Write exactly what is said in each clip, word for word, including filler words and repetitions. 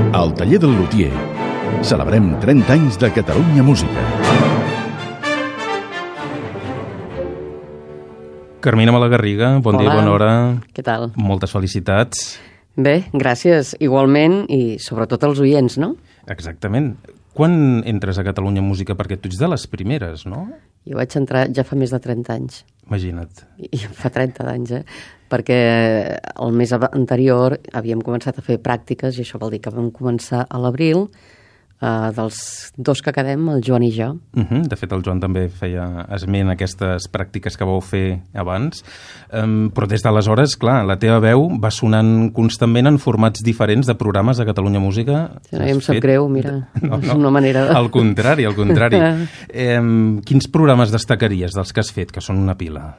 Al taller del lutier celebrem trenta anys de Catalunya Música. Carmina Malagarriga, bon Hola. dia, bona hora. Què tal? Moltes felicitats. Bé, gràcies igualment i sobretot als oients, no? Exactament. Quan entres a Catalunya Música? Perquè tu ets de les primeres, no? Jo vaig entrar ja fa més de trenta anys. Imagina't. I fa trenta d'anys, eh? Perquè el mes anterior havíem començat a fer pràctiques i això vol dir que vam començar a l'abril, eh, dels dos que quedem, el Joan i jo. Uh -huh. De fet, el Joan també feia esment a aquestes pràctiques que vau fer abans. Um, però des d'aleshores, clar, la teva veu va sonant constantment en formats diferents de programes de Catalunya Música. Si no, em sap fet... greu, mira, no, no. és una manera de... Al contrari, al contrari. um, quins programes destacaries dels que has fet, que són una pila?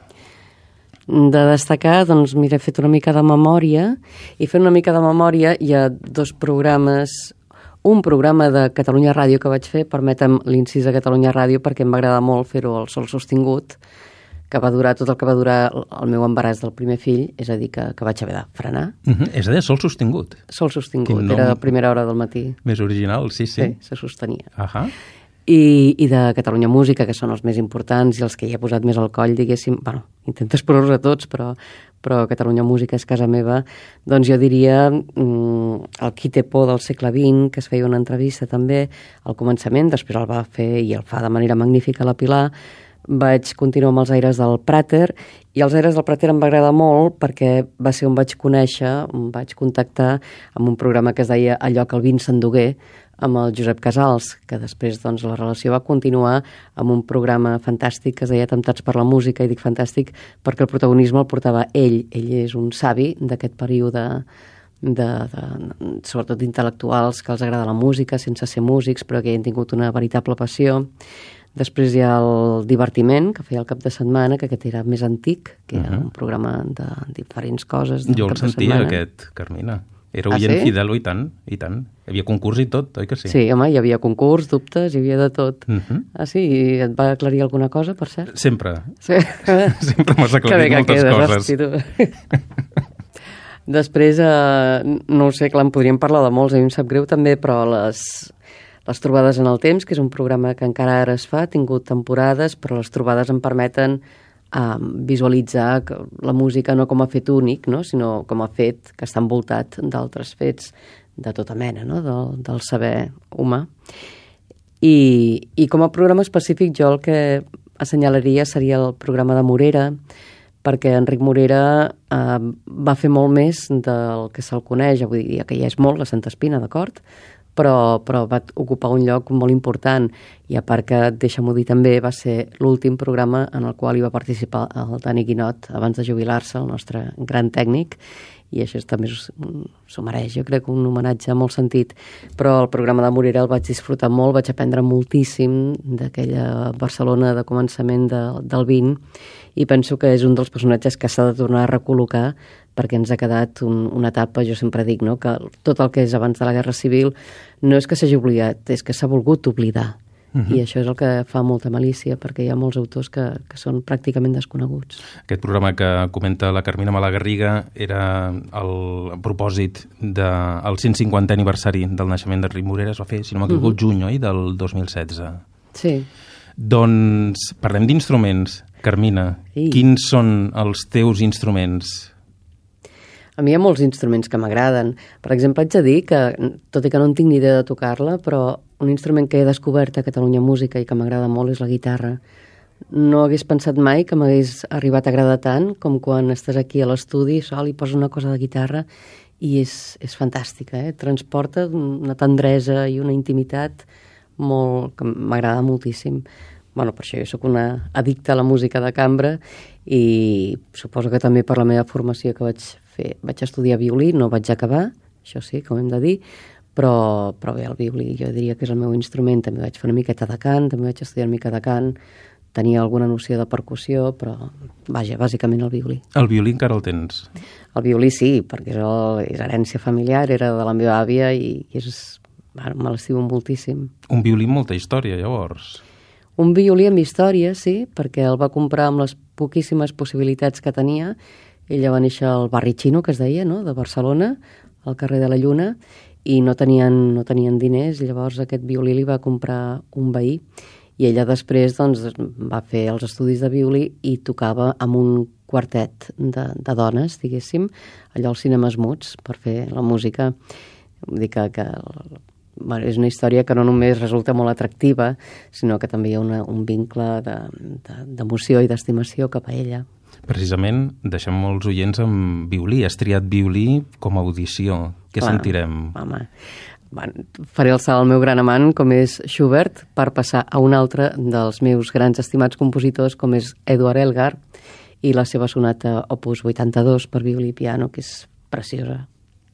De destacar, doncs, mira, he fet una mica de memòria, i fent una mica de memòria hi ha dos programes, un programa de Catalunya Ràdio que vaig fer, permetem l'incís de Catalunya Ràdio perquè em va agradar molt fer-ho al Sol Sostingut, que va durar tot el que va durar el meu embaràs del primer fill, és a dir, que, que vaig haver de frenar. Uh -huh. És a dir, Sol Sostingut. Sol Sostingut, era a primera hora del matí. Més original, sí, sí. Sí, se sostenia. Uh -huh. I, i de Catalunya Música, que són els més importants i els que hi he posat més al coll, diguéssim, bueno, intentes posar-los a tots, però, però Catalunya Música és casa meva, doncs jo diria mm, el Qui té por del segle vint, que es feia una entrevista també al començament, després el va fer i el fa de manera magnífica la Pilar. Vaig continuar amb els aires del Prater, i els aires del Prater em va agradar molt perquè va ser on vaig conèixer, on vaig contactar amb un programa que es deia Allò que el vin s'endugué, amb el Josep Casals, que després doncs, la relació va continuar amb un programa fantàstic que es deia Temptats per la música, i dic fantàstic perquè el protagonisme el portava ell. Ell és un savi d'aquest període, de, de, sobretot d'intel·lectuals que els agrada la música sense ser músics, però que hi han tingut una veritable passió. Després hi ha el Divertiment, que feia el cap de setmana, que aquest era més antic, que era uh -huh. un programa de diferents coses. Jo el sentia, aquest, Carmina. Era oient ah, sí? fidel, i tant, i tant. Hi havia concurs i tot, oi que sí? Sí, home, hi havia concurs, dubtes, hi havia de tot. Uh -huh. Ah, sí? I et va aclarir alguna cosa, per cert? Sempre. Sí. Sempre m'has aclarit moltes quedes, coses. Hosti, Després, eh, no ho sé, clar, en podríem parlar de molts, a mi em sap greu també, però les, les trobades en el temps, que és un programa que encara ara es fa, ha tingut temporades, però les trobades em permeten a visualitzar la música no com a fet únic, no? Sinó com a fet que està envoltat d'altres fets de tota mena, no? del, del saber humà. I, I com a programa específic jo el que assenyalaria seria el programa de Morera, perquè Enric Morera eh, va fer molt més del que se'l coneix, avui dia que ja és molt la Santa Espina, d'acord? Però, però va ocupar un lloc molt important, i a part que, deixa'm-ho dir també, va ser l'últim programa en el qual hi va participar el Dani Guinot abans de jubilar-se, el nostre gran tècnic, i això també s'ho mereix, jo crec, un homenatge en molt sentit. Però el programa de Morera el vaig disfrutar molt, vaig aprendre moltíssim d'aquella Barcelona de començament de, del vint, i penso que és un dels personatges que s'ha de tornar a recol·locar, perquè ens ha quedat un, una etapa, jo sempre dic, no? Que tot el que és abans de la Guerra Civil no és que s'hagi oblidat, és que s'ha volgut oblidar. Uh -huh. I això és el que fa molta malícia, perquè hi ha molts autors que, que són pràcticament desconeguts. Aquest programa que comenta la Carmina Malagarriga era el propòsit del cent cinquantè aniversari del naixement d'Enric Morera, es va fer, si no m'equivoco, uh -huh. el juny, oi?, del dos mil setze. Sí. Doncs parlem d'instruments. Carmina, sí. Quins són els teus instruments? A mi hi ha molts instruments que m'agraden. Per exemple, haig de dir que, tot i que no en tinc ni idea de tocar-la, però un instrument que he descobert a Catalunya Música i que m'agrada molt és la guitarra. No hagués pensat mai que m'hagués arribat a agradar tant com quan estàs aquí a l'estudi sol i poses una cosa de guitarra i és, és fantàstica, eh? Transporta una tendresa i una intimitat molt, que m'agrada moltíssim. Bueno, per això jo sóc una addicta a la música de cambra, i suposo que també per la meva formació que vaig fer. Vaig estudiar violí, no vaig acabar, això sí, com hem de dir, però, però bé, el violí jo diria que és el meu instrument. També vaig fer una miqueta de cant, també vaig estudiar una mica de cant, tenia alguna noció de percussió, però, vaja, bàsicament el violí. El violí encara el tens? El violí sí, perquè és, el, és herència familiar, era de la meva àvia i, i és, bueno, me l'estimo moltíssim. Un violí amb molta història, llavors. Un violí amb història, sí, perquè el va comprar amb les poquíssimes possibilitats que tenia. Ella va néixer al barri xino, que es deia, no?, de Barcelona, al carrer de la Lluna, i no tenien, no tenien diners, i llavors aquest violí li va comprar un veí, i ella després doncs, va fer els estudis de violí i tocava amb un quartet de, de dones, diguéssim, allò als cinemes muts, per fer la música. Vull dir que, que bueno, és una història que no només resulta molt atractiva, sinó que també hi ha una, un vincle d'emoció de, de, i d'estimació cap a ella. Precisament, deixem molts oients amb violí. Has triat violí com a audició. Què Clar, sentirem? Home, bueno, faré el salt al meu gran amant, com és Schubert, per passar a un altre dels meus grans estimats compositors, com és Eduard Elgar, i la seva sonata opus vuitanta-dos per violí i piano, que és preciosa.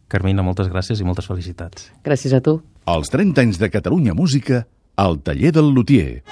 Carmina, moltes gràcies i moltes felicitats. Gràcies a tu. Els trenta anys de Catalunya Música al taller del lutier.